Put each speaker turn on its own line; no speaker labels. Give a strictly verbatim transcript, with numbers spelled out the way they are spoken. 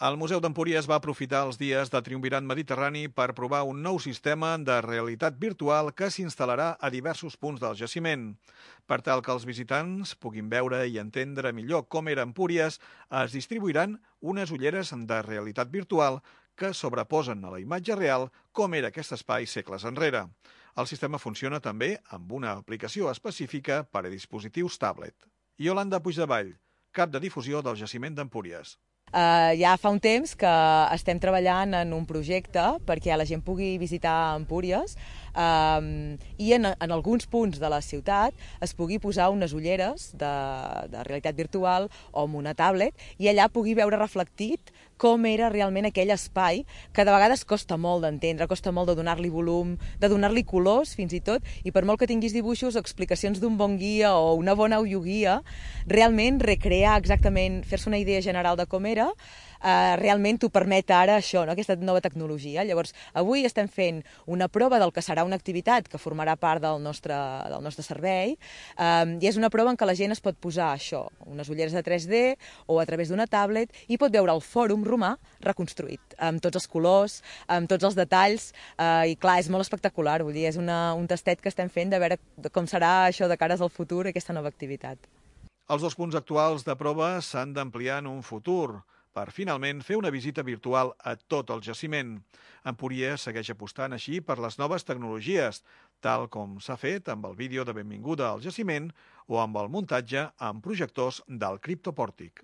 El Museu d'Empúries va aprofitar els dies de Triumvirat Mediterrani per provar un nou sistema de realitat virtual que s'instal·larà a diversos punts del jaciment. Per tal que els visitants puguin veure i entendre millor com era Empúries, es distribuiran unes ulleres de realitat virtual que sobreposen a la imatge real com era aquest espai segles enrere. El sistema funciona també amb una aplicació específica per a dispositius tablet. Iolanda Puigdevall, cap de difusió del jaciment d'Empúries.
Uh, ja fa un temps que estem treballant en un projecte perquè la gent pugui visitar Empúries um, i en, en alguns punts de la ciutat es pugui posar unes ulleres de, de realitat virtual o amb una tablet i allà pugui veure reflectit com era realment aquell espai que de vegades costa molt d'entendre, costa molt de donar-li volum, de donar-li colors fins i tot, i per molt que tinguis dibuixos o explicacions d'un bon guia o una bona audioguia, realment recrear exactament, fer-se una idea general de com era, Uh, realment t'ho permet ara això, no? Aquesta nova tecnologia. Llavors, avui estem fent una prova del que serà una activitat que formarà part del nostre, del nostre servei, um, i és una prova en què la gent es pot posar això, unes ulleres de tres D o a través d'una tablet, i pot veure el fòrum romà reconstruït, amb tots els colors, amb tots els detalls, uh, i clar, és molt espectacular, vull dir, és una, un tastet que estem fent de veure com serà això de cares al futur, aquesta nova activitat.
Els dos punts actuals de prova s'han d'ampliar en un futur, per finalment fer una visita virtual a tot el jaciment. Empúries segueix apostant així per les noves tecnologies, tal com s'ha fet amb el vídeo de benvinguda al jaciment o amb el muntatge amb projectors del criptopòrtic.